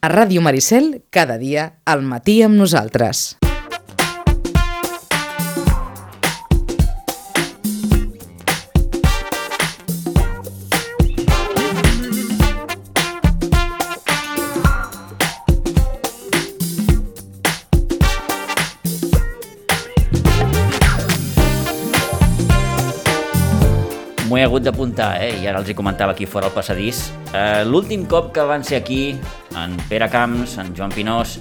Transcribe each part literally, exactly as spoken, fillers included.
A Ràdio Maricel, cada dia, al matí amb nosaltres. M'ho he hagut d'apuntar, eh? I ara els hi comentava aquí fora al passadís. Eh, L'últim cop que van ser aquí, en Pere Camps, en Joan Pinós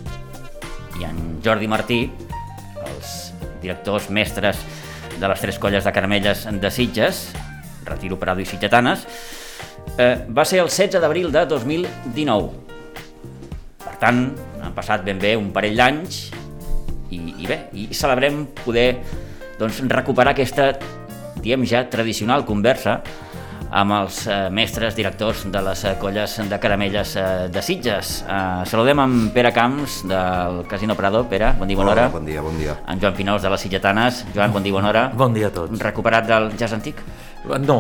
i en Jordi Martí, els directors mestres de les tres colles de caramelles de Sitges, Retiro, Prado i Sitgetanes, eh, va ser el setze d'abril de dos mil dinou. Per tant, han passat ben bé un parell d'anys i, i bé, i celebrem poder doncs, recuperar aquesta, diem ja, tradicional conversa amb els eh, mestres directors de les eh, colles de caramelles eh, de Sitges. Eh, saludem amb Pere Camps del Casino Prado. Pere, bon dia, bona hora. Hola, bon dia, bon dia. En Joan Pinós de les Sitgetanes. Joan, bon dia, bona hora. Bon dia a tots. Recuperat del jazz antic? No,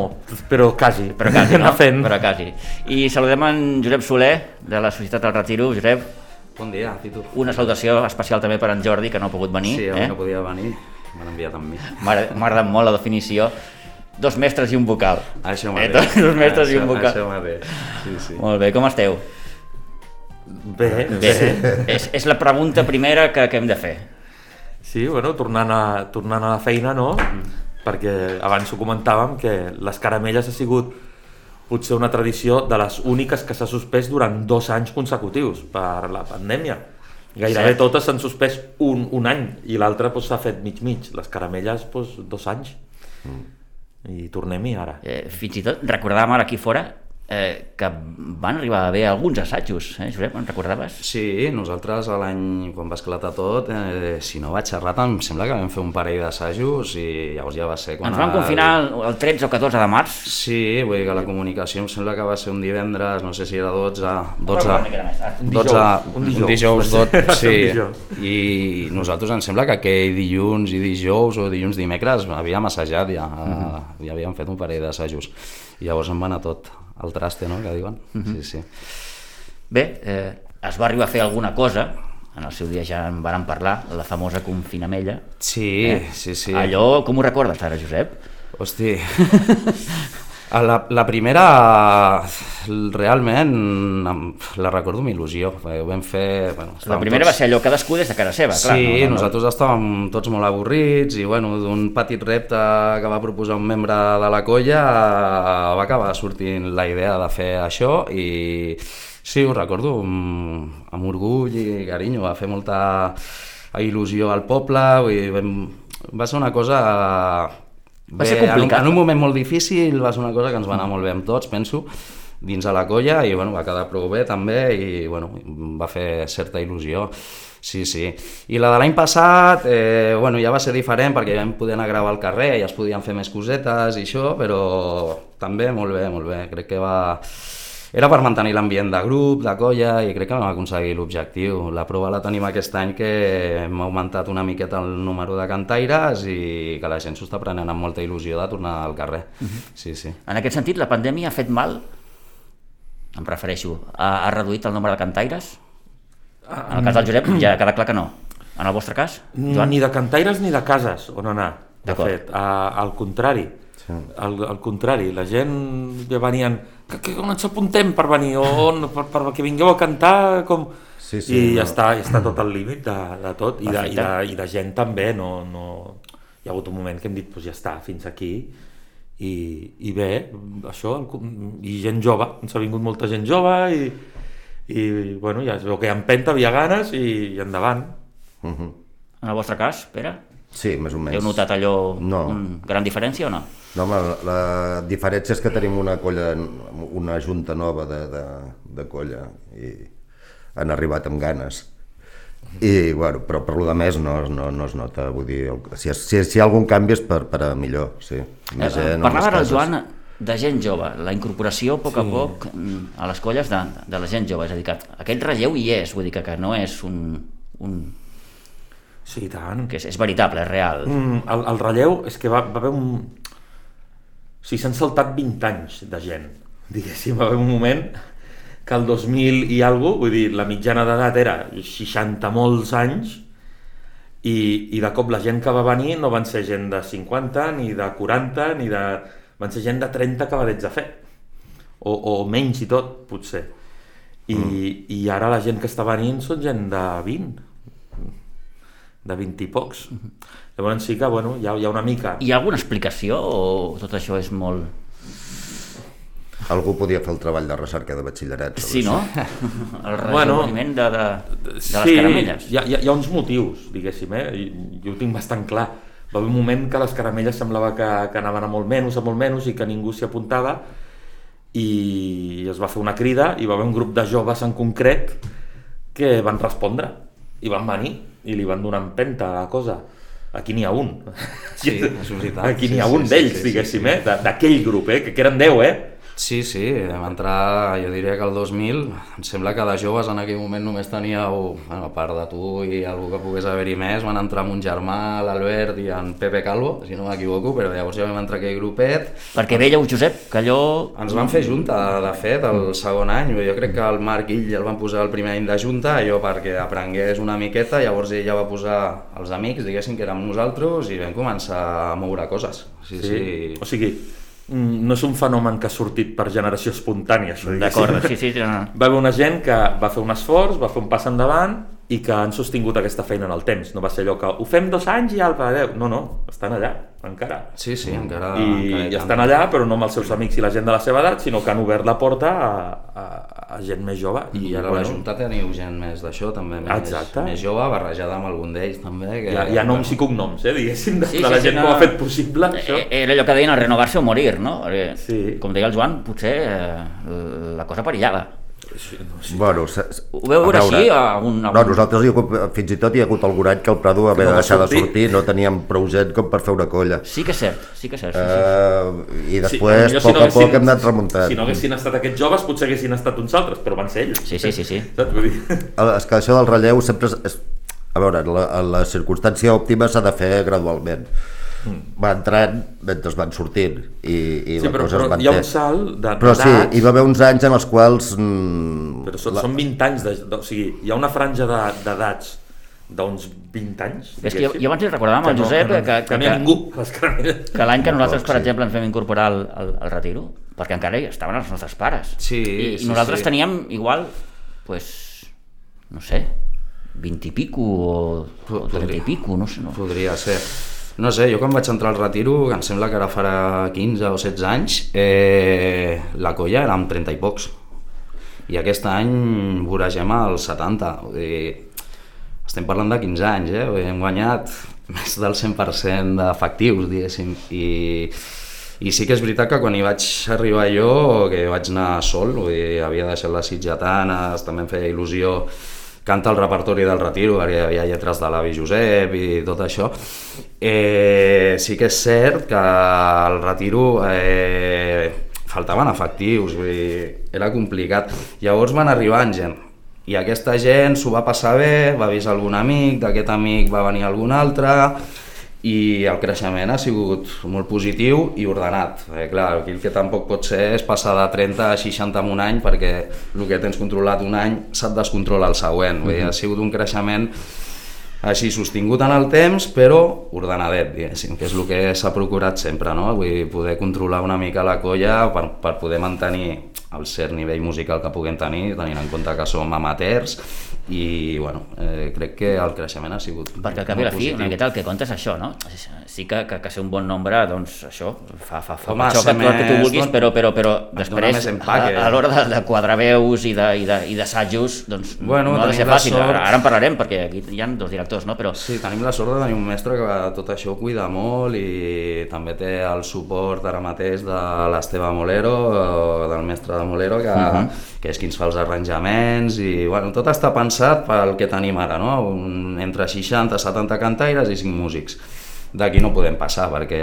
però quasi. Però quasi, no? Fent. Però quasi. I saludem en Josep Soler, de la Societat del Retiro. Josep. Bon dia, Titu. Una salutació especial també per en Jordi, que no ha pogut venir. Sí, avui eh? no podia venir. M'han enviat amb mi. M'ha agradat molt la definició. Dos mestres i un vocal. Això eh, mateix. Dos mestres això, i un vocal. Això mateix. Sí, sí. Molt bé, com esteu? Bé, Bé, bé. és, és la pregunta primera que, que hem de fer. Sí, bueno, tornant a, tornant a la feina, no? Perquè abans ho comentàvem, que les caramelles ha sigut potser una tradició de les úniques que s'ha suspès durant dos anys consecutius per la pandèmia. Gairebé Cert. totes s'han suspès un, un any i l'altra doncs, s'ha fet mig-mig. Les caramelles, doncs, dos anys. Mm. I tornem-hi ara. Eh, fins i tot recordàvem ara aquí fora eh, que van arribar a haver alguns assajos, eh, Josep, en recordaves? Sí, nosaltres a l'any, quan va esclatar tot, eh, si no vaig errat, em sembla que vam fer un parell d'assajos i llavors ja va ser quan... Ens van el... confinar el, el tretze o catorze de març. Sí, vull dir que la comunicació em sembla que va ser un divendres, no sé si era dotze... dotze, Una mica més tard. Un dotze, dijous, un dijous. un dijous, dot, Va ser sí, un dijous. i nosaltres em sembla que aquell dilluns i dijous o dilluns dimecres havíem assajat ja, uh-huh. ja havíem fet un parell d'assajos i llavors em va anar tot al traste, no?, que diuen. Uh-huh. Sí, sí. Bé, eh, es va arribar a fer alguna cosa, en el seu dia ja en vàrem parlar, la famosa confinamella. Sí, eh? sí, sí. Allò, com ho recordes ara, Josep? Hosti, la, la primera realment la recordo amb il·lusió. Ho vam fer... Bueno, La primera tots... va ser allò cadascú des de casa seva, clar. Sí, no, no, no. nosaltres estàvem tots molt avorrits i bueno, d'un petit repte que va proposar un membre de la colla va acabar sortint la idea de fer això i sí, ho recordo amb, amb orgull i carinyo, va fer molta il·lusió al poble, vull dir, vam, va ser una cosa... Va ser bé, complicat. En un, en un moment molt difícil, va ser una cosa que ens va anar molt bé amb tots, penso, dins de la colla, i bueno, va quedar prou bé també, i bueno, va fer certa il·lusió. Sí, sí. I la de l'any passat, eh, bueno, ja va ser diferent perquè ja vam poder anar a gravar al carrer, ja es podien fer més cosetes i això, però també molt bé, molt bé. Crec que va... Era per mantenir l'ambient de grup, de colla, i crec que vam aconseguir l'objectiu. La prova la tenim aquest any, que hem augmentat una miqueta el número de cantaires i que la gent s'ho està prenent amb molta il·lusió de tornar al carrer. Uh-huh. Sí, sí. En aquest sentit, la pandèmia ha fet mal? Em refereixo, ha, ha reduït el nombre de cantaires? En el cas del Josep ja queda clar que no. En el vostre cas, Joan? Ni de cantaires ni de cases on anar, de D'acord. fet, a, al contrari. Sí. Al, al contrari, la gent ja venien, que, que on ens apuntem per venir, o on, per, per que vingueu a cantar, com... Sí, sí, I no. ja està, ja està tot al límit de, de tot, i de, i, Perfecte. de, i de gent també, no, no... Hi ha hagut un moment que hem dit, pues ja està, fins aquí, i, i bé, això, el, i gent jove, ens ha vingut molta gent jove, i, i bueno, ja es veu que hi ha empenta, havia ganes, i, i endavant. Uh-huh. En el vostre cas, Pere? Sí, més o menys. Heu notat allò, No. una gran diferència o no? No, home, la diferència és que tenim una colla, una junta nova de, de, de colla i han arribat amb ganes. I, bueno, però per lo de més no, no, no es nota, vull dir, si, si, si hi ha algun canvi és per, per a millor, sí. Més Eh, gent, Parlava més ara el cases. Joan de gent jove, la incorporació a poc a poc mm, a les colles de, de la gent jove, és a dir, que aquest relleu hi és, vull dir que, que no és un... un Sí, i tant. que és, és veritable, és real. Mm, el, el relleu és que va, va haver un... O sigui, s'han saltat vint anys de gent, diguéssim, va haver un moment que el dos mil i alguna cosa, vull dir, la mitjana d'edat era seixanta molts anys i, i de cop la gent que va venir no van ser gent de cinquanta, ni de quaranta, ni de... van ser gent de trenta acabadets de fer, o, o menys i tot, potser. I, mm. i ara la gent que està venint són gent de vint, de vint i pocs. Mm-hmm. Llavors sí que, bueno, hi ha, hi ha una mica... Hi ha alguna explicació o tot això és molt... Algú podia fer el treball de recerca de batxillerat. Sí, no? El rejoveniment bueno, de, de, de sí, les caramelles. Hi ha, hi ha uns motius, diguéssim, eh? Jo ho tinc bastant clar. Va haver un moment que les caramelles semblava que, que anaven a molt menys, a molt menys, i que ningú s'hi apuntava, i es va fer una crida, i va haver un grup de joves en concret que van respondre, i van venir, i li van donar empenta a la cosa. Aquí n'hi ha un. Sí, és veritat. Aquí n'hi ha sí, un sí, d'ells, sí, sí, diguéssim, sí. eh? D'aquell grup, eh? Que eren deu, eh? Sí, sí, vam entrar, jo diria que el dos mil, em sembla que de joves en aquell moment només teníeu, bueno, a part de tu i algú que pogués haver-hi més, van entrar amb un germà, l'Albert i en Pepe Calvo, si no m'equivoco, però llavors ja vam entrar aquell grupet. Perquè veieu, Josep, que allò... Ens van fer junta, de fet, el segon any, jo crec que el Marc i ell el van posar el primer any de junta, allò perquè aprengués una miqueta, llavors ell ja va posar els amics, diguéssim, que érem nosaltres, i vam començar a moure coses. Sí, sí. sí. O sigui, no és un fenomen que ha sortit per generació espontània, això. D'acord, sí, sí. No. Va haver una gent que va fer un esforç, va fer un pas endavant i que han sostingut aquesta feina en el temps. No va ser allò que ho fem dos anys i alpa, adeu. No, no, estan allà, encara. Sí, sí, encara... I, encara i estan allà, però no amb els seus amics i la gent de la seva edat, sinó que han obert la porta a, a, a gent més jove. I, I ara bueno, a la Junta teniu gent més d'això, també més, exacte. més jove, barrejada amb algun d'ells, també. Que, hi, ha, hi ha noms bueno. i cognoms, eh, diguéssim, de, sí, de la sí, gent sí, que no... ho ha fet possible, això. Era allò que deien, el renovar-se o morir, no? Sí. Com deia el Joan, potser eh, la cosa perillava. Sí, no, sí. Bueno, ho veu veure així? A un, a un... No, nosaltres hi ha, fins i tot hi ha hagut algun any que el Prado va haver de deixar de sortir, no teníem prou gent com per fer una colla. Sí que és cert, sí que és cert. Sí, uh, sí. I després, sí, a poc si no a poc, haguessin, hem anat remuntant. Si no haguessin estat aquests joves, potser haguessin estat uns altres, però van ser ells. Sí, sí, sí. sí. Saps? Vull dir... És que això del relleu sempre és... és a veure, la, la circumstància òptima s'ha de fer gradualment. Va entrant mentre van sortint i, i sí, la però, cosa però es manté. Hi ha un salt d'edats... Però sí, hi va haver uns anys en els quals... Mm, però són, la... són vint anys, de, de, o sigui, hi ha una franja d'edats d'uns vint anys. És que jo, jo abans li recordava amb el Josep que, que, que, que, ningú, que l'any que nosaltres, per exemple, ens vam incorporar al, al, al retiro, perquè encara hi estaven els nostres pares. Sí, I, sí, i nosaltres sí. teníem igual, pues, no sé, vint i pico o, o trenta i pico, no sé. No. Podria ser. No sé, jo quan vaig entrar al retiro, que em sembla que ara farà quinze o setze anys, eh, la colla era amb trenta i pocs. I aquest any voragem als setanta. Vull dir, estem parlant de quinze anys, eh? Hem guanyat més del cent per cent d'efectius, diguéssim. I, I sí que és veritat que quan hi vaig arribar jo, que vaig anar sol, vull dir, havia deixat les sitgetanes, també em feia il·lusió canta el repertori del retiro, perquè hi havia lletres de l'avi Josep i tot això. Eh, sí que és cert que al retiro eh, faltaven efectius, vull dir, era complicat. Llavors van arribar gent, i aquesta gent s'ho va passar bé, va avisar algun amic, d'aquest amic va venir algun altre, i el creixement ha sigut molt positiu i ordenat. Eh, clar, aquí el que tampoc pot ser és passar de trenta a seixanta en un any, perquè el que tens controlat un any se't descontrola el següent. Vull dir, ha sigut un creixement així sostingut en el temps, però ordenadet, diguéssim, que és el que s'ha procurat sempre, no? Vull dir, poder controlar una mica la colla per, per poder mantenir el cert nivell musical que puguem tenir, tenint en compte que som amateurs, i bueno, eh, crec que el creixement ha sigut perquè al cap i la fi, una miqueta el que compta és això, no? Sí que, que, que ser un bon nombre, doncs això fa, fa, fa Home, això que, més, que tu vulguis, però, però, però després empaque, a, a l'hora de, de quadrar veus i d'assajos, doncs bueno, no ha de ser fàcil. Sort... Ara, ara en parlarem perquè aquí hi ha dos directors, no? Però... Sí, tenim la sort de tenir un mestre que tot això ho cuida molt i també té el suport ara mateix de l'Esteve Molero, del mestre de Molero, que, uh-huh. que és qui ens fa els arranjaments i bueno, tot està pensat pel que tenim ara, no? Un, entre seixanta i setanta cantaires i cinc músics. D'aquí no podem passar perquè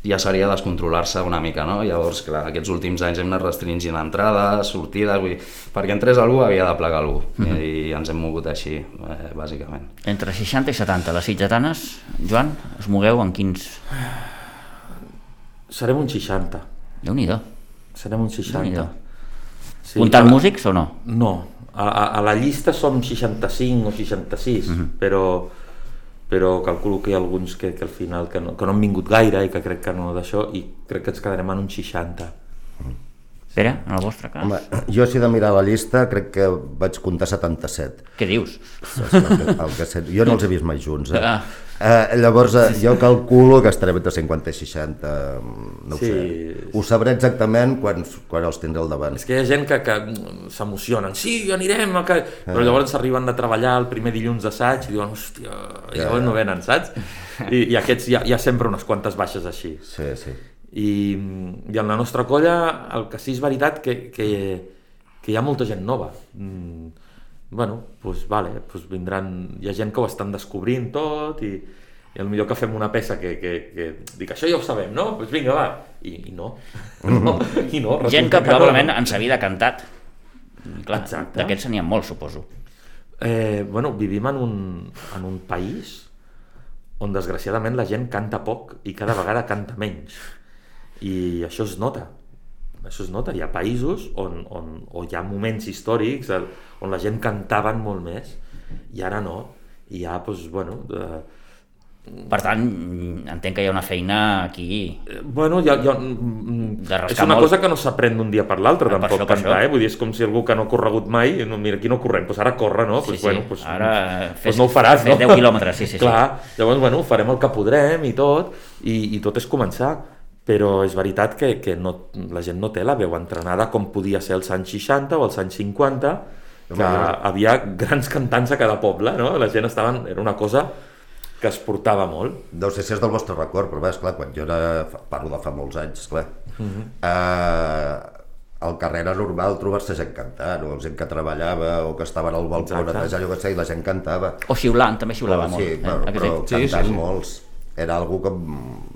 ja seria descontrolar-se una mica, no? Llavors, clar, aquests últims anys hem anat restringint entrades, sortides, vull dir, perquè entrés algú havia de plegar algú, mm-hmm. i ens hem mogut així, eh, bàsicament. Entre seixanta i setanta, les sitgetanes, Joan, us mogueu en quins? Serem un seixanta. Déu-n'hi-do. Serem un seixanta. Sí, Comptant la... músics o no? No, a, a, a la llista som seixanta-cinc o seixanta-sis, uh-huh. però, però calculo que hi ha alguns que, que al final que no, que no han vingut gaire i que crec que no d'això, i crec que ens quedarem en un seixanta. Pere, en el vostre cas? Home, jo si he de mirar la llista crec que vaig comptar setanta-set. Què dius? El que, el que sé, jo no els he vist mai junts. Eh? Ah. Eh, llavors eh, jo calculo que estarem entre cinquanta i seixanta, no ho Sí. sé. Ho sabré exactament quan, quan els tindré al davant. És que hi ha gent que, que s'emocionen, sí, anirem, a que... però llavors arriben de treballar el primer dilluns d'assaig i diuen, hòstia, i llavors no venen, saps? I, i aquests hi ha, hi ha sempre unes quantes baixes així. Sí, sí. I, i en la nostra colla el que sí és veritat que, que, que hi ha molta gent nova. Mm, bueno, doncs vale, doncs vindran, hi ha gent que ho estan descobrint tot i, i potser que fem una peça que, que, que dic, això ja ho sabem, no? Doncs vinga, va, i, i no, no, i no Gent que probablement no. en sa vida ha cantat. Clar, Exacte. d'aquests n'hi ha molts, suposo. Eh, bueno, vivim en un, en un país on desgraciadament la gent canta poc i cada vegada canta menys. I això es nota, això es nota. Hi ha països on, on, on hi ha moments històrics on la gent cantaven molt més i ara no. I ja, doncs, bueno... De... Per tant, entenc que hi ha una feina aquí... Bueno, hi ha, hi ha... de és una molt. cosa que no s'aprèn d'un dia per l'altre, Per tampoc això, per cantar, això. eh? Vull dir, és com si algú que no ha corregut mai, no, mira, aquí no correm, doncs ara corre, no? Sí, Pues, sí. bueno, pues, Ara pues fes, no ho faràs, fes no? deu quilòmetres, sí, sí. Clar, llavors, bueno, farem el que podrem i tot, i, i tot és començar. Però és veritat que, que no, la gent no té la veu entrenada com podia ser als anys seixanta o als anys cinquanta, que havia grans cantants a cada poble, no? La gent estava... Era una cosa que es portava molt. No sé si és del vostre record, però bé, esclar, quan jo era, parlo de fa molts anys, esclar, uh-huh. eh, al carrer era normal trobar-se gent cantant, o gent que treballava, o que estaven al balcó, netejar, jo què sé, i la gent cantava. O xiulant, també xiulava oh, molt. Sí, eh? però, Aquest però dit. cantant sí, sí. molts. Era algo que,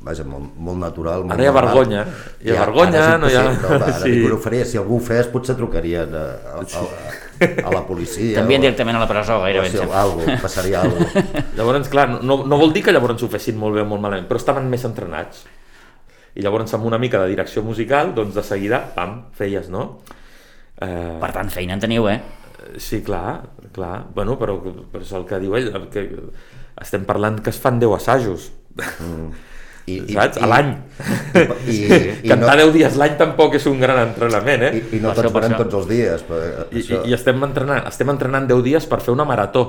vaja, molt, molt natural. Molt Ara hi ha normal. vergonya, hi ha vergonya, ara és no hi ha... impossible, no, va, ara Sí. ningú ho faria. Si algú ho fes, potser trucarien a, a, a, a la policia. T'envien o- directament a la presó, gairebé. o si em sembla. algo, passaria alguna cosa. Llavors, clar, no, no vol dir que llavors ho fessin molt bé o molt malament, però estaven més entrenats. I llavors, amb una mica de direcció musical, doncs de seguida, pam, feies, no? Eh, Per tant, feina en teniu, eh? sí, clar, clar. Bueno, però, però és el que diu ell, el que estem parlant que es fan deu assajos. Mm. I, Saps? A l'any. I, i, i, Cantar no, deu dies l'any tampoc és un gran entrenament, eh? i, i no Per tots això, per venem això. tots els dies. Però, I, això... i, i estem entrenant estem entrenant deu dies per fer una marató,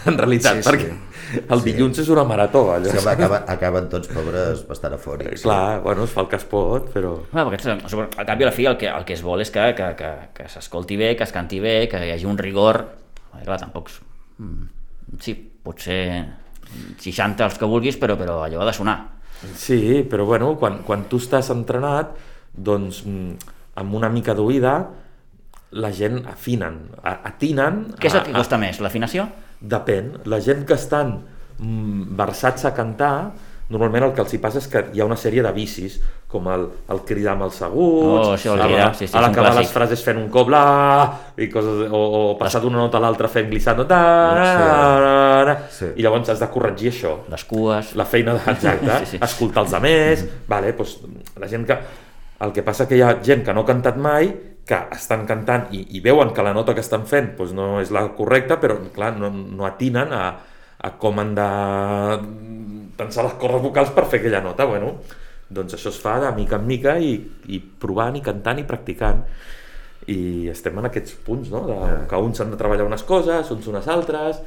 en realitat, Sí, sí. perquè el dilluns és una marató, allò. Sí, home, acaben, acaben tots pobres bastant afònics. Clar, bueno, es fa el que es pot, però... Clar, perquè, al cap i a la fi el que, el que es vol és que, que, que, que s'escolti bé, que es canti bé, que hi hagi un rigor. Perquè, clar, tampoc... Sí, potser seixanta els que vulguis, però, però allò ha de sonar. Sí, però bueno, quan, quan tu estàs entrenat, doncs amb una mica d'oïda la gent afinen, atinen... Què és el que costa més, l'afinació? Depèn. La gent que estan mm, versats a cantar, normalment el que els hi passa és que hi ha una sèrie de vicis, com el, el cridar amb els aguts, Oh, això, el a cridar, la- sí, sí, a és un l'acabar clàssic. les frases fent un cop la, i coses, o, o passar d'una nota a l'altra fent glissando, ta, Sí. Sí. i llavors has de corregir això. Les cues... La feina de, exacte, Sí, sí. escoltar els altres, vale, doncs, la gent que... El que passa que hi ha gent que no ha cantat mai, que estan cantant i, i veuen que la nota que estan fent doncs, no és la correcta, però clar, no, no atinen a, a com han de tensar les cordes vocals per fer aquella nota. Bueno, doncs això es fa de mica en mica i, i provant i cantant i practicant. I estem en aquests punts, no? De, que uns han de treballar unes coses, uns unes altres,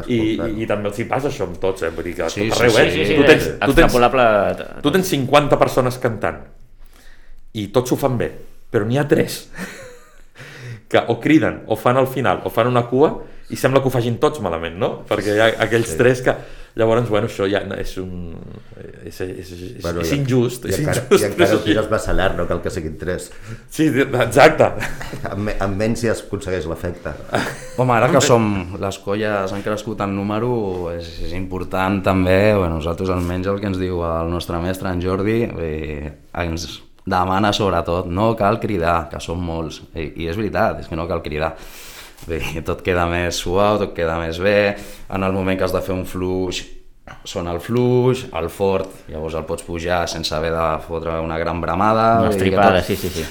i, i, i també els hi passa això amb tots, eh? Vull dir que Sí, tot sí, arreu, sí, eh? Sí, sí, tu tens, és tu tens, extrapolable... tu tens cinquanta persones cantant i tots ho fan bé, però n'hi ha tres que o criden, o fan al final, o fan una cua i sembla que ho facin tots malament, no? Perquè hi ha aquells sí. tres que... Llavors, bueno, això ja és un... és, és, és, Bueno, és i- injust, I és encara, injust. i encara és ho així. tires massa llarg, no cal que siguin tres. Sí, exacte. Amb, me- amb menys ja es aconsegueix l'efecte. Home, ara que som, les colles han crescut en número, és, és important també, bueno, nosaltres almenys el que ens diu el nostre mestre, en Jordi, eh, ens demana sobretot, no cal cridar, que som molts, i, i és veritat, és que no cal cridar. Bé, tot queda més suau, tot queda més bé, en el moment que has de fer un fluix, sona el fluix, el fort, llavors el pots pujar sense haver de fotre una gran bramada. Una vull dir que estripada, tot- sí, sí, sí.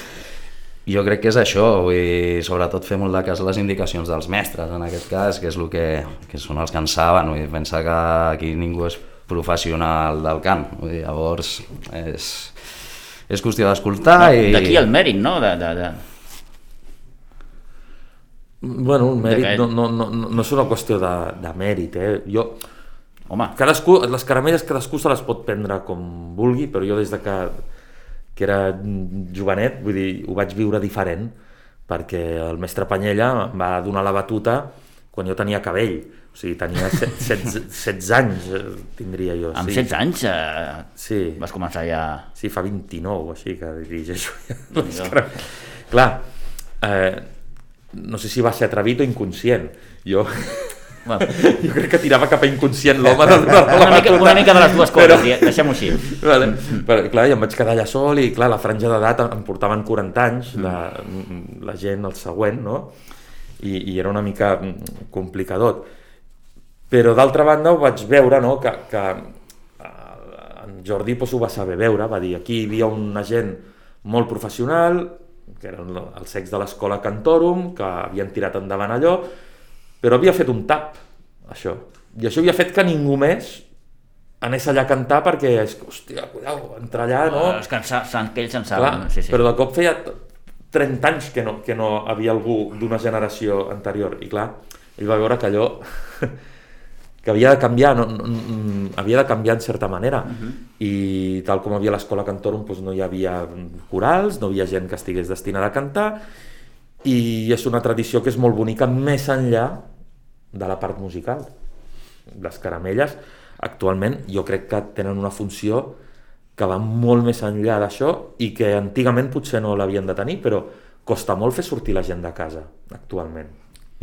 jo crec que és això, vull dir, sobretot fer molt de cas les indicacions dels mestres, en aquest cas, que és el que, que són els que en saben, vull dir, pensa que aquí ningú és professional del cant, vull dir, llavors és, és qüestió d'escoltar i... D'aquí el mèrit, no? De, de, de... Bueno, un mèrit no, no, no, no és una qüestió de, de mèrit, eh? Jo... Home. Cadascú, les caramelles cadascú se les pot prendre com vulgui, però jo des de que, que era jovenet, vull dir, ho vaig viure diferent, perquè el mestre Panyella em va donar la batuta quan jo tenia cabell, o sigui, tenia setze anys, tindria jo. Amb sí. setze anys eh, sí. vas començar ja... Sí, fa vint-i-nou, així que dirigeixo ja. Clar, eh, no sé si va ser atrevit o inconscient, jo... Bueno. Jo crec que tirava cap a inconscient l'home de donar la una, mica, una mica de les dues coses, però... deixem-ho així. Vale. Però, clar, i em vaig quedar allà sol i clar, la franja d'edat em portaven quaranta anys, la, la gent el següent, no? I, i era una mica complicadot. Però d'altra banda ho vaig veure, no? que, que en Jordi pues, ho va saber veure, va dir aquí hi havia una gent molt professional, que eren els secs de l'escola Cantorum, que havien tirat endavant allò, però havia fet un tap, això. I això havia fet que ningú més anés allà a cantar perquè, hòstia, cuidao, entrar allà, no? Oh, és que, en, que ells en saben. Clar, sí, sí. Però de cop feia trenta anys que no, que no havia algú d'una generació anterior. I clar, ell va veure que allò que havia de canviar, no, no, havia de canviar en certa manera. Uh-huh. I tal com havia l'escola Cantorum, doncs no hi havia corals, no hi havia gent que estigués destinada a cantar, i és una tradició que és molt bonica més enllà de la part musical. Les caramelles actualment jo crec que tenen una funció que va molt més enllà d'això i que antigament potser no l'havien de tenir, però costa molt fer sortir la gent de casa actualment.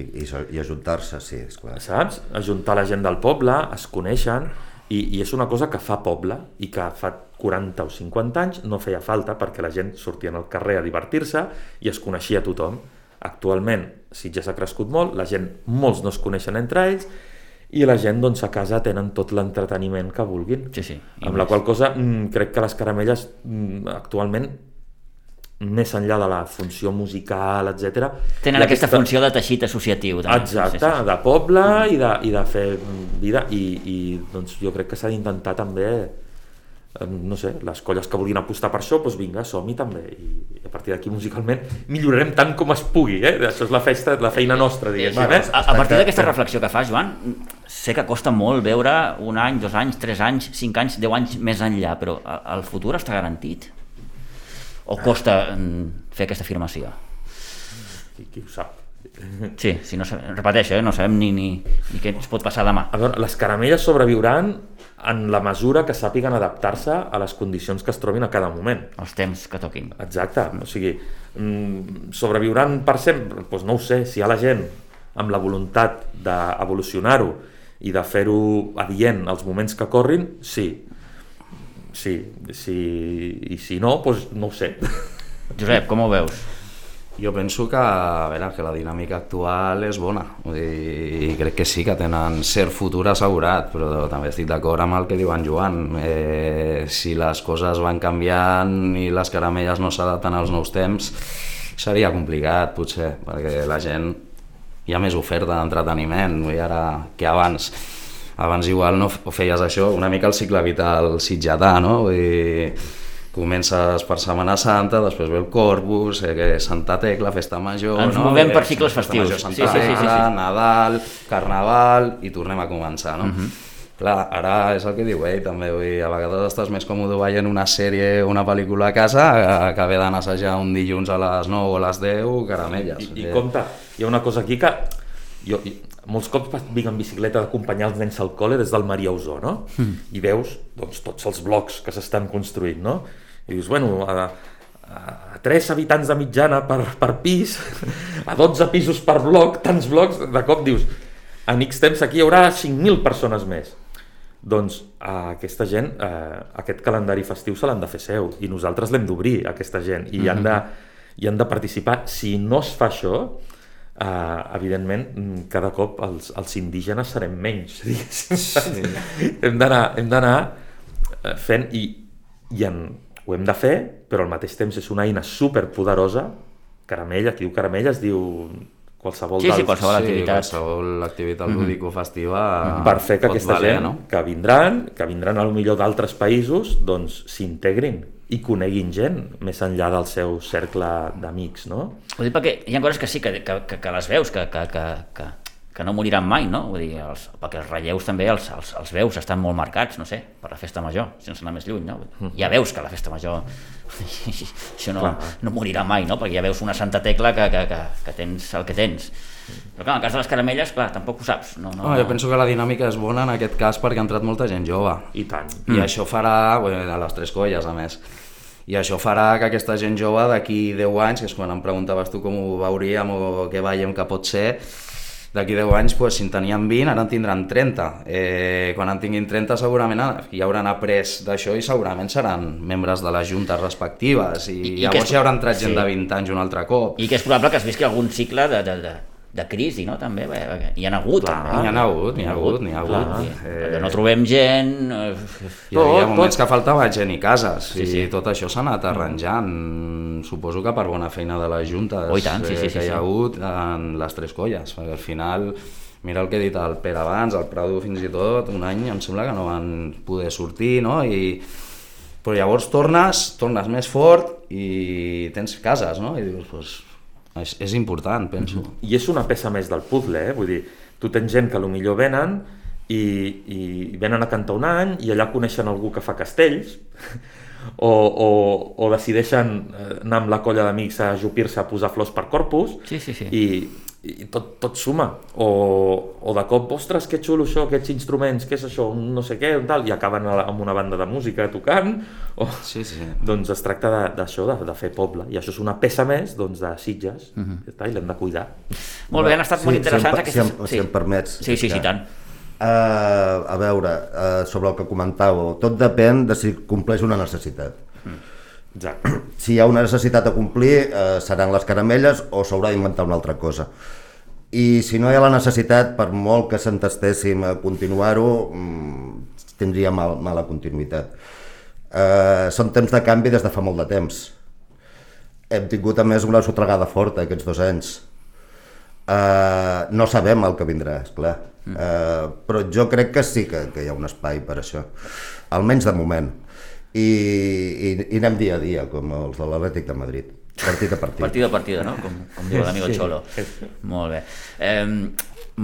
I, i, i ajuntar-se, sí, esclar. Saps? Ajuntar la gent del poble, es coneixen, i, i és una cosa que fa poble i que fa quaranta o cinquanta anys no feia falta perquè la gent sortia al carrer a divertir-se i es coneixia tothom. Actualment Sitges ha crescut molt, la gent, molts no es coneixen entre ells i la gent doncs a casa tenen tot l'entreteniment que vulguin. Sí, sí. Amb la qual cosa mm, crec que les caramelles mm, actualment més enllà de la funció musical, etcètera, tenen aquesta, aquesta funció de teixit associatiu també. Exacte, sí, sí. De poble i de, i de fer vida i, i doncs jo crec que s'ha d'intentar també, no sé, les colles que vulguin apostar per això, doncs vinga, som-hi també, i a partir d'aquí musicalment millorarem tant com es pugui, eh? Això és la, festa, la feina nostra, diguéssim. Eh? A, a partir d'aquesta reflexió que fas, Joan, sé que costa molt veure un any, dos anys, tres anys, cinc anys, deu anys més enllà, però el futur està garantit? O costa fer aquesta afirmació? Qui, qui ho sap? Sí, sí, no sabem, repeteixo, eh? No sabem ni, ni, ni què ens pot passar demà. A veure, les caramelles sobreviuran en la mesura que sàpiguen adaptar-se a les condicions que es trobin a cada moment. Els temps que toquin. Exacte, o sigui, sobreviuran per sempre? Doncs no ho sé, si hi ha la gent amb la voluntat d'evolucionar-ho i de fer-ho adient als moments que corrin, sí. Sí, sí, i si no, doncs no ho sé. Josep, com ho veus? Jo penso que, a veure, que la dinàmica actual és bona, vull dir, crec que sí que tenen cert futur assegurat, però també estic d'acord amb el que diu en Joan. Eh, si les coses van canviant i les caramelles no s'adapten als nous temps, seria complicat, potser, perquè la gent hi ha més oferta d'entreteniment, vull dir, ara que abans. Abans igual no feies això, una mica el cicle vital sitgetà, no? Vull dir, comences per Setmana Santa, després ve el Corpus, eh, Santa Tecla, Festa Major... Ens no? movem per eh, cicles festius. Major, Santa sí, sí, Tecla, sí, sí, sí. Nadal, Carnaval, i tornem a començar, no? Uh-huh. Clar, ara és el que diu ell, també, vull dir, a vegades estàs més còmode veient una sèrie o una pel·lícula a casa que haver d'anar a assajar un dilluns a les nou o a les deu, caramelles. I, i compte, hi ha una cosa aquí que... Jo, molts cops vinc en bicicleta d'acompanyar els nens al col·le des del Maria Usó, no? Mm. I veus doncs, tots els blocs que s'estan construint, no? I dius, bueno, a, a tres habitants de mitjana per, per pis, a dotze pisos per bloc, tants blocs, de cop dius, en X temps aquí hi haurà cinc mil persones més. Doncs a aquesta gent, eh, aquest calendari festiu se l'han de fer seu, i nosaltres l'hem d'obrir, aquesta gent, i mm-hmm. hi, han de, hi han de participar. Si no es fa això, Uh, evidentment cada cop els, els indígenes serem menys, sí. hem d'anar hem d'anar fent i, i en, ho hem de fer, però al mateix temps és una eina superpoderosa caramell, aquí diu caramell, es diu qualsevol Sí, sí, dels... qualsevol Sí, activitat. qualsevol activitat lúdico-festiva per fer que pot aquesta valer, gent no? que vindran, que vindran a lo millor d'altres països, doncs s'integrin i coneguin gent més enllà del seu cercle d'amics, no? Ho dic perquè hi ha coses que sí, que, que, que, que les veus, que, que, que, que, que no moriran mai, no? Vull dir, els, perquè els relleus també els, els, els veus estan molt marcats, no sé, per la festa major, sense anar més lluny, no? Ja veus que la festa major això no, no morirà mai, no? Perquè ja veus una santa tecla que, que, que, que tens el que tens. Però clar, en el cas de les caramelles, clar, tampoc ho saps. No, no, No, jo penso que la dinàmica és bona en aquest cas perquè ha entrat molta gent jove. I tant. I mm. això farà, bueno, a les tres colles a més, i això farà que aquesta gent jove d'aquí deu anys, que és quan em preguntaves tu com ho veuríem o què veiem que pot ser, d'aquí deu anys, pues, si en tenien vint, ara en tindran trenta. Eh, quan en tinguin trenta segurament ja hauran après d'això i segurament seran membres de les juntes respectives i, I, i llavors és, ja hauran entrat gent sí. de vint anys un altre cop. I que és probable que es visqui algun cicle de, de, de, de crisi, no? També, bé, bé, hi ha hagut. Clar, també. n'hi ha hagut, n'hi ha hagut, n'hi ha hagut. Eh... Que no trobem gent... Eh... Hi havia moments que faltava gent i cases, Sí, sí. i tot això s'ha anat arranjant. Suposo que per bona feina de les juntes Oh, i tant, sí, sí, eh, sí, que hi ha sí. hagut en les tres colles, perquè al final, mira el que he dit al Pere abans, al Prado fins i tot, un any em sembla que no van poder sortir, no? I... Però llavors tornes, tornes més fort i tens cases, no? I dius, doncs, és, és important, penso. I és una peça més del puzzle, eh? Vull dir, tu tens gent que potser venen i, i venen a cantar un any i allà coneixen algú que fa castells o, o, o decideixen anar amb la colla d'amics a ajupir-se a posar flors per Corpus Sí, sí, sí. i, i tot, tot suma. O, o de cop, ostres, que xulo això, aquests instruments, què és això, un no sé què, un tal, i acaben amb una banda de música tocant. O... Sí, sí. Doncs es tracta d'això, de, de, de fer poble, i això és una peça més doncs, de Sitges, uh-huh. i l'hem de cuidar. Molt bé, han estat Sí, molt interessants si em, aquestes... si em, si em permets. Sí, sí, sí, tant. Uh, a veure, uh, sobre el que comentàveu, tot depèn de si compleix una necessitat. Mm. Exacte. Si hi ha una necessitat a complir, uh, seran les caramelles o s'haurà d'inventar una altra cosa. I si no hi ha la necessitat, per molt que s'entestéssim a continuar-ho, um, tindria mal, mala continuïtat. Uh, són temps de canvi des de fa molt de temps. Hem tingut a més una sotregada forta aquests dos anys. Uh, no sabem el que vindrà, esclar. Uh, però jo crec que sí que, que hi ha un espai per això, almenys de moment. I, i, i anem dia a dia, com els de l'Atlètic de Madrid, partit a partit. Partida a partida, no? Com, com diu l'amigo Xolo. Molt bé. Eh,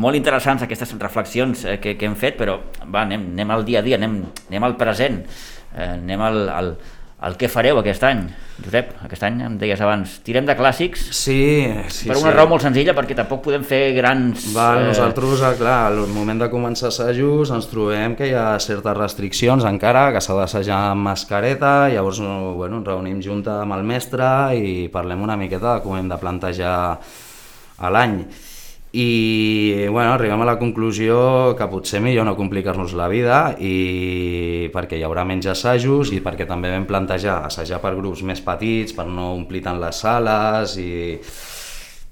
molt interessants aquestes reflexions eh, que, que hem fet, però va, anem, anem al dia a dia, anem, anem al present, eh, anem al, al, al què fareu aquest any. Josep, aquest any em deies abans, tirem de clàssics, Sí, sí, per una sí. raó molt senzilla, perquè tampoc podem fer grans... Val, eh, nosaltres, eh, clar, al moment de començar assajos ens trobem que hi ha certes restriccions encara, que s'ha d'assajar amb mascareta, llavors no, bueno, ens reunim junta amb el mestre i parlem una miqueta de com hem de plantejar a l'any. I bueno, arribem a la conclusió que potser millor no complicar-nos la vida i perquè hi haurà menys assajos i perquè també vam plantejar assajar per grups més petits per no omplir tant les sales i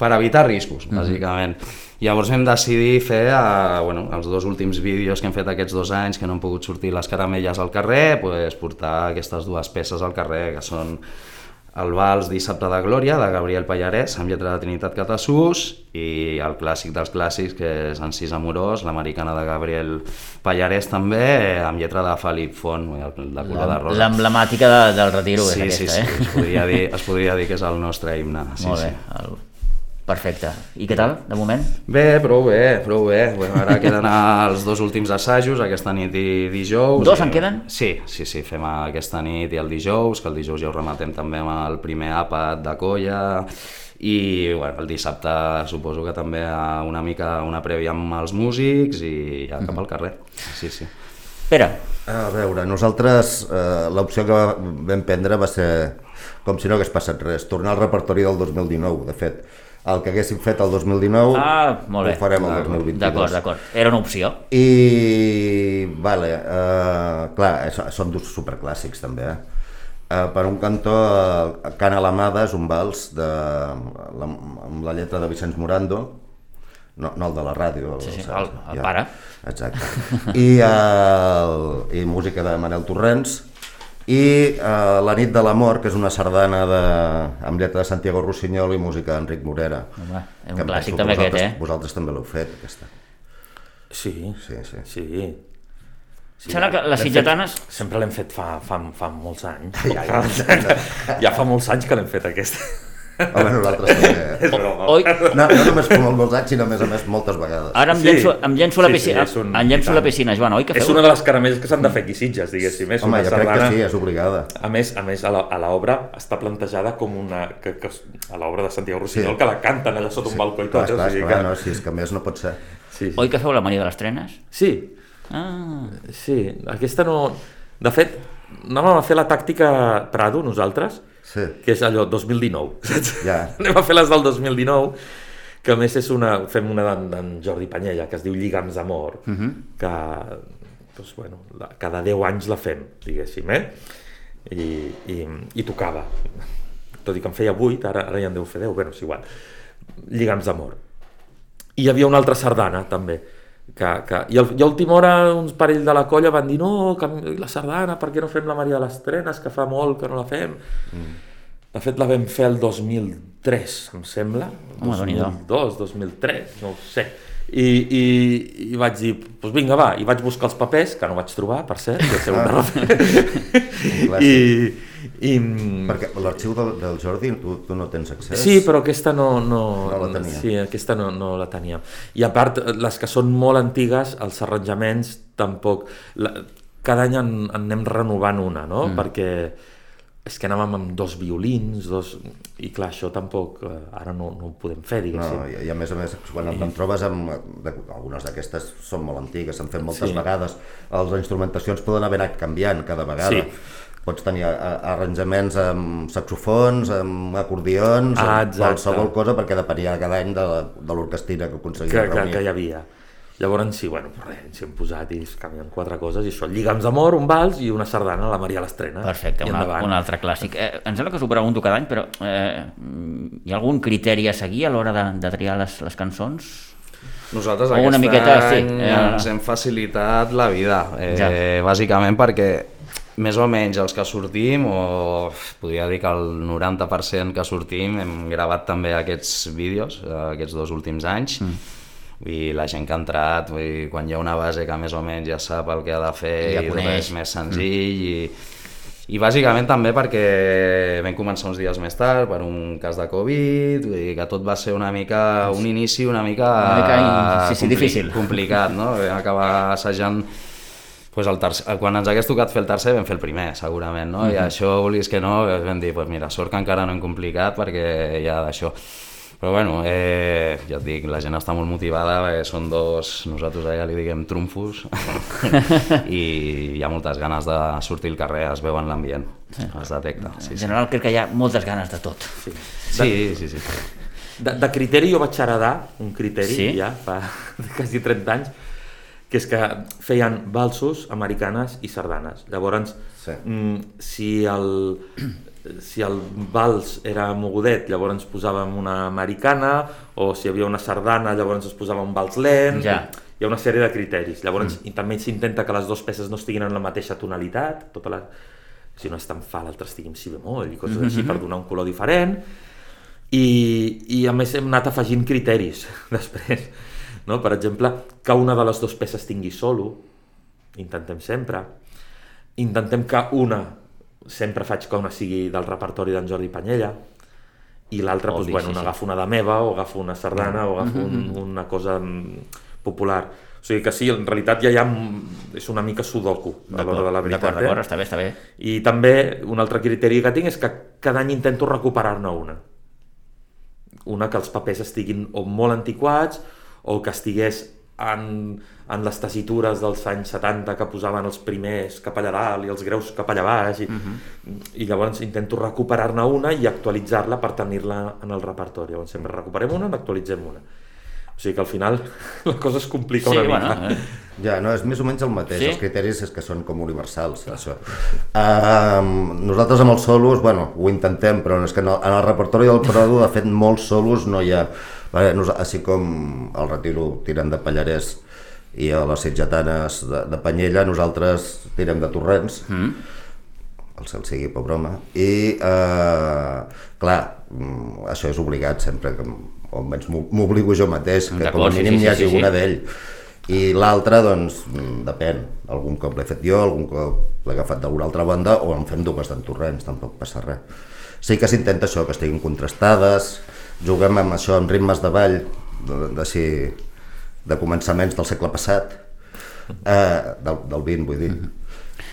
per evitar riscos, bàsicament. Mm-hmm. Llavors vam decidir fer eh, bueno, els dos últims vídeos que hem fet aquests dos anys que no han pogut sortir les caramelles al carrer, pues, portar aquestes dues peces al carrer que són el Vals Dissabte de Glòria, de Gabriel Pallarès, amb lletra de Trinitat Catassús, i el clàssic dels clàssics, que és Encís Amorós, l'americana de Gabriel Pallarès també, amb lletra de Felip Font, el de color de rosa. L'emblemàtica de, del retiro sí, és sí, aquesta, sí, eh? es podria dir, es podria dir que és el nostre himne. Sí, Molt bé, sí. el... perfecte. I què tal, de moment? Bé, prou bé, prou bé. Bueno, ara queden els dos últims assajos, aquesta nit i dijous. Dos i... en queden? Sí, sí, sí, fem aquesta nit i el dijous, que el dijous ja ho rematem també amb el primer àpat de colla, i bueno, el dissabte suposo que també una mica una prèvia amb els músics i ja cap al carrer. Sí, sí. Pere. A veure, nosaltres eh, l'opció que vam prendre va ser com si no hagués passat res, tornar al repertori del dos mil dinou, de fet. El que haguéssim fet el dos mil dinou ah, molt bé. ho farem el dos mil vint-i-dos. D'acord, d'acord. Era una opció. I, vale, eh, clar, són dos superclàssics també, eh? Eh, per un cantó, eh, Can Alamada és un vals de, la, amb la lletra de Vicenç Morando, no, no el de la ràdio. El, Sí, sí, el, el, el ja, pare. Exacte. I, el, I música de Manel Torrents, i uh, La nit de l'amor, que és una sardana de, amb lletra de Santiago Rossinyol i música d'Enric Morera. Home, és un clàssic també aquest, eh? Vosaltres també l'heu fet, aquesta. Sí, Sí, sí. sí. Sí, Sembla que les sitgetanes... Fet, sempre l'hem fet fa, fa, fa molts anys. Ja, ja, ja fa molts anys que l'hem fet aquesta. Home, nosaltres també. És broma. Oi? No, no només com molts anys, sinó a més a més moltes vegades. Ara em Sí. llenço, em llenço a la Sí, sí, piscina, és un- em llenço a la piscina, Joan, oi que feu? És una de les caramelles que s'han de fer aquí Sitges, diguéssim. És Home, una jo crec que sardana... sí, és obligada. A més, a més a la- a l'obra està plantejada com una... Que, que, a l'obra de Santiago Rossinyol, Sí. que la canten allà sota un balcó i Clar, tot. esclar, o sigui esclar, que- no, si és que a més no pot ser. Sí, sí. Oi que feu la Maria de les Trenes? Sí, Ah, sí, aquesta no... De fet, anàvem a fer la tàctica Prado, nosaltres, Sí. que és allò dos mil dinou, saps? Ja. Anem a fer les del dos mil dinou, que a més és una... Fem una d'en d'en Jordi Panyella, que es diu Lligams d'amor, uh -huh. que, doncs, bueno, la, cada deu anys la fem, diguéssim, eh? I, i, i tocava. Tot i que en feia vuit, ara, ara ja en deu fer deu, bueno, és igual. Lligams d'amor. I hi havia una altra sardana, també, que, que, i, al, i a última hora uns parell de la colla van dir no, que la sardana, per què no fem la Maria de les Trenes, que fa molt que no la fem. Mm. De fet la vam fer el dos mil tres, em sembla, Home, dos mil Déu-n'hi-do. dos, dos mil tres, no ho sé, i, i, i vaig dir, doncs vinga va, i vaig buscar els papers, que no vaig trobar, per cert, que ser un error. I, i, Perquè l'arxiu del, del Jordi tu, tu no tens accés? Sí, però aquesta no, no, No la tenia. Sí, aquesta no, no la tenia. I a part, les que són molt antigues, els arranjaments tampoc... La, cada any en, en anem renovant una, no? Mm. Perquè és que anàvem amb dos violins, dos... I clar, això tampoc eh, ara no, no ho podem fer, diguéssim. No, i, i a més a més, quan I... te'n trobes amb... De, algunes d'aquestes són molt antigues, s'han fet moltes Sí. vegades. Les instrumentacions poden haver anat canviant cada vegada. Sí. Pots tenir a, a, arranjaments amb saxofons, amb acordions, Ah, amb exacte. qualsevol cosa, perquè depenia cada any de, de l'orquestina que aconseguia que, que, reunir. que hi havia. Llavors sí, bueno, però res, ens hi hem posat i es canvien quatre coses, i això, Lligams d'amor, un vals i una sardana, la Maria l'Estrena. perfecte, I un, al- endavant. un altre clàssic. Eh, em sembla que s'ho pregunto cada any, però eh, hi ha algun criteri a seguir a l'hora de, de triar les, les cançons? Nosaltres O aquest una miqueta, sí, any eh, ens hem facilitat la vida, eh, Ja. bàsicament perquè més o menys els que sortim, o podria dir que el noranta per cent que sortim, hem gravat també aquests vídeos, eh, aquests dos últims anys, mm. i la gent que ha entrat, vull dir, quan hi ha una base que més o menys ja sap el que ha de fer Ja i tot coneix. és més senzill, mm. i, i bàsicament també perquè vam començar uns dies més tard per un cas de Covid, vull dir que tot va ser una mica, un inici una mica, Una mica, sí, sí, compli- difícil. complicat, no? Vam acabar assajant pues el tercer, quan ens hagués tocat fer el tercer vam fer el primer, segurament, no? Mm -hmm. I això, volies que no, vam dir, pues mira, sort que encara no hem complicat perquè ja d'això. Però bueno, eh, ja et dic, la gent està molt motivada, perquè són dos, nosaltres allà li diguem trumfos, i hi ha moltes ganes de sortir al carrer, es veu en l'ambient, es detecta. Sí, En sí. general crec que hi ha moltes ganes de tot. Sí. Sí, sí, sí. De, de criteri jo vaig heredar un criteri Sí? ja fa quasi trenta anys, que és que feien valsos, americanes i sardanes. Llavors, Sí. mm, si el si el vals era mogudet, llavors posàvem una americana, o si hi havia una sardana, llavors es posava un vals lent. Ja. Hi ha una sèrie de criteris. Llavors, mm. i també s'intenta que les dues peces no estiguin en la mateixa tonalitat, tota la... si no és tan fa, l'altre estigui en si bemoll i coses mm -hmm. així, per donar un color diferent. I, i a més hem anat afegint criteris després, no? Per exemple, que una de les dues peces tingui solo, intentem sempre, intentem que una, sempre faig que una sigui del repertori d'en Jordi Panyella, i l'altra, doncs, Obvi, bueno, sí, sí. agafo una de meva, o agafo una sardana, o agafo un, una cosa mm, popular. O sigui que sí, en realitat ja hi ha... és una mica sudoku, a l'hora de la veritat. D'acord, d'acord, eh? està bé, està bé. I també un altre criteri que tinc és que cada any intento recuperar-ne una. Una que els papers estiguin o molt antiquats o que estigués en, en les tessitures dels anys setanta que posaven els primers cap allà dalt i els greus cap allà baix i, uh-huh. i llavors intento recuperar-ne una i actualitzar-la per tenir-la en el repertori. Llavors sempre recuperem una i n'actualitzem una. O sigui que al final la cosa es complica Sí, una mica. bueno, eh. Ja, no, és més o menys el mateix, Sí? els criteris és que són com universals, això. Uh, nosaltres amb els solos, bueno, ho intentem, però és que en el, en el repertori del Prado, de fet, molts solos no hi ha. Vale, nos, així com el Retiro tirem de Pallarès i a les Sitgetanes de, de Panyella, nosaltres tirem de Torrents. Mm. el cel sigui per broma, i eh, clar, això és obligat sempre, que, o almenys m'obligo jo mateix, que com a mínim n'hi hagi una d'ell. I l'altra, doncs, depèn. Algun cop l'he fet jo, algun cop l'he agafat d'una altra banda, o en fem dues d'en Torrents, tampoc passa res. Sí que s'intenta això, que estiguin contrastades, juguem amb això, amb ritmes de ball, d'així, de començaments del segle passat, eh, del, del vint, vull dir.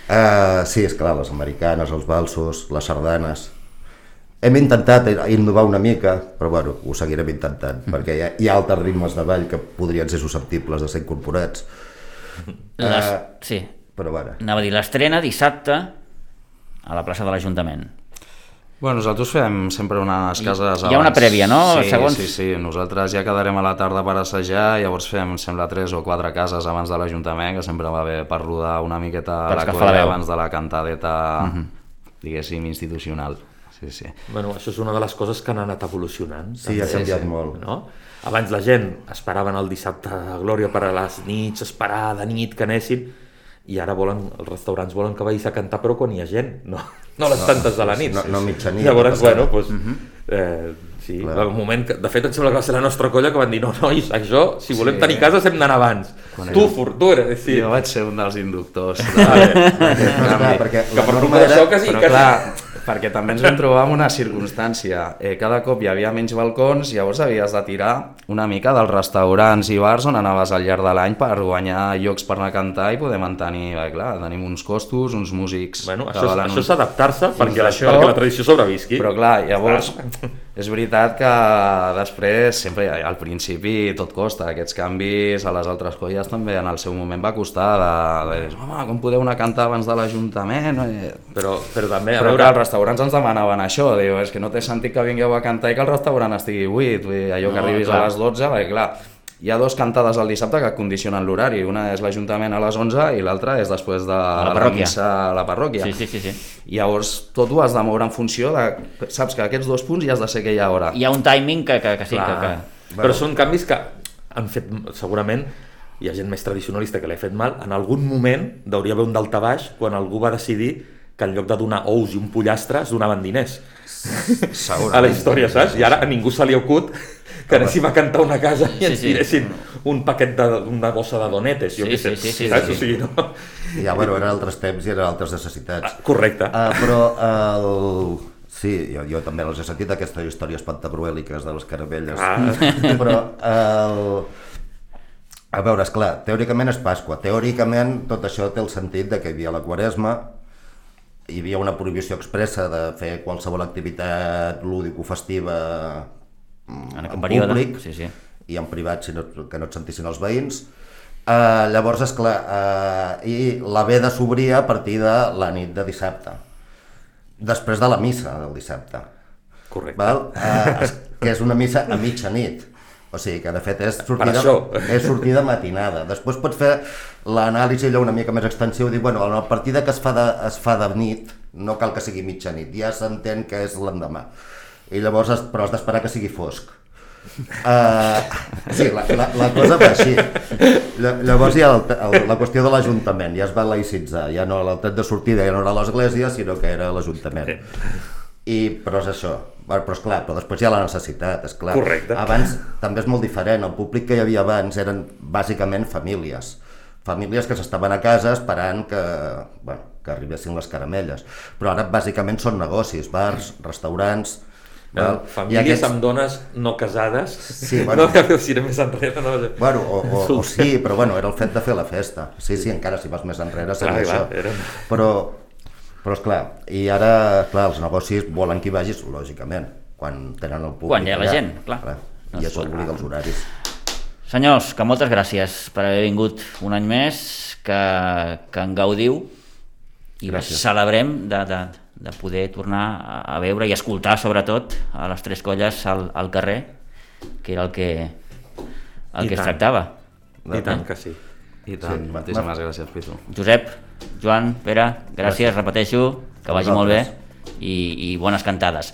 Eh, sí, esclar, les americanes, els valsos, les sardanes. Hem intentat innovar una mica, però bueno, ho seguirem intentant, mm. perquè hi ha, hi ha altres ritmes de ball que podrien ser susceptibles de ser incorporats. Les, uh, sí, però bueno. Anava a dir, l'estrena dissabte a la plaça de l'Ajuntament. Bueno, nosaltres fem sempre unes cases abans. Hi ha una prèvia, no? Sí, Segons... sí, sí. Nosaltres ja quedarem a la tarda per assajar, llavors fem, sembla, tres o quatre cases abans de l'Ajuntament, que sempre va bé per rodar una miqueta la colla abans de la cantadeta, uh-huh. diguéssim, institucional. Sí, sí. Bueno, això és una de les coses que han anat evolucionant. Sí, també. Ha canviat sí, sí. molt. No? Abans la gent esperaven el dissabte de Glòria per a les nits, esperar de nit que anessin, i ara volen, els restaurants volen que vagis a cantar, però quan hi ha gent, no, no les tantes de la nit. No, no mitjanit. Llavors, bueno, doncs, uh-huh. eh, sí, clar. El moment que, de fet, em sembla que va ser la nostra colla que van dir, no, nois, això, si volem sí. tenir cases hem d'anar abans. Quan tu, Fortura. Sí. Jo vaig ser un dels inductors. De... Vale. No, clar, perquè que per culpa d'això quasi... Però clar, perquè també ens vam trobar amb una circumstància. Eh, cada cop hi havia menys balcons, llavors havies de tirar una mica dels restaurants i bars on anaves al llarg de l'any per guanyar llocs per anar a cantar i poder mantenir, eh, clar, tenim uns costos, uns músics... Bueno, això, això és adaptar-se perquè, això... perquè la tradició sobrevisqui. Però clar, llavors és veritat que després, sempre al principi tot costa, aquests canvis a les altres colles també en el seu moment va costar de, de dir, home, com podeu anar a cantar abans de l'Ajuntament? Però, però també... Però veure... els restaurants ens demanaven això, diu, és que no té sentit que vingueu a cantar i que el restaurant estigui buit, allò que no, arribis clar. A les dotze, perquè clar, hi ha dos cantades al dissabte que condicionen l'horari, una és l'Ajuntament a les onze i l'altra és després de la, la missa a la parròquia. Sí, sí, sí, sí. I llavors tot ho has de moure en funció de... Saps que aquests dos punts hi has de ser aquella hora. Hi ha un timing que, que, que sí, clar. que... que... Però bueno. Són canvis que han fet, segurament, hi ha gent més tradicionalista que l'ha fet mal, en algun moment hauria d'haver un daltabaix quan algú va decidir que en lloc de donar ous i un pollastre es donaven diners. A la història, saps? I ara a ningú se li acut que anéssim a cantar una casa i ens sí, sí. tiressin un paquet de, una bossa de donetes, jo sí, què sé, sí, sí, saps? Sí, sí. O sigui, no? Ja, bueno, eren altres temps i eren altres necessitats. Ah, correcte. Uh, però el... Sí, jo, jo també els he sentit aquestes històries pantagruèliques de les caramelles, ah. però el... a veure, esclar, teòricament és Pasqua, teòricament tot això té el sentit de que hi havia la Quaresma, hi havia una prohibició expressa de fer qualsevol activitat lúdico-festiva en, en públic sí, sí. i en privat, si no, que no et sentissin els veïns. Uh, llavors, esclar, uh, i la veda s'obria a partir de la nit de dissabte, després de la missa del dissabte. Correcte. Val? Uh, que és una missa a mitjanit. O sigui que de fet és sortida, és sortida matinada. Després pots fer l'anàlisi allò una mica més extensiu, dir, bueno, a partir de que es fa de, es fa de nit, no cal que sigui mitjanit, ja s'entén que és l'endemà. I llavors, però has d'esperar que sigui fosc. Uh, sí, la, la, la cosa va així. Llavors hi ha el, el, la qüestió de l'Ajuntament, ja es va laïcitzar, ja no el tret de sortida ja no era l'església, sinó que era l'Ajuntament. I, però és això, però esclar, però després hi ha la necessitat, esclar. Correcte. Abans també és molt diferent, el públic que hi havia abans eren bàsicament famílies, famílies que s'estaven a casa esperant que, bueno, que arribessin les caramelles, però ara bàsicament són negocis, bars, restaurants... Val? Famílies aquests... amb dones no casades, sí, bueno, no que si era més enrere, no? Bueno, o, o, o sí, però bueno, era el fet de fer la festa, sí, sí, encara si vas més enrere seria clar, això, era... però, però esclar, i ara, clar, els negocis volen que hi vagis, lògicament, quan tenen el públic. Quan hi ha la gent, clar. clar no I això obliga els horaris. Senyors, que moltes gràcies per haver vingut un any més, que, que en gaudiu i gràcies. Celebrem de... de de poder tornar a veure i escoltar sobretot a les tres colles al, al carrer, que era el que, el I que tant. Es tractava. I tant que sí. I tant, sí. Moltíssimes gràcies, Pitu. Josep, Joan, Pere, gràcies, gràcies. Repeteixo, que vagi molt bé i, i bones cantades.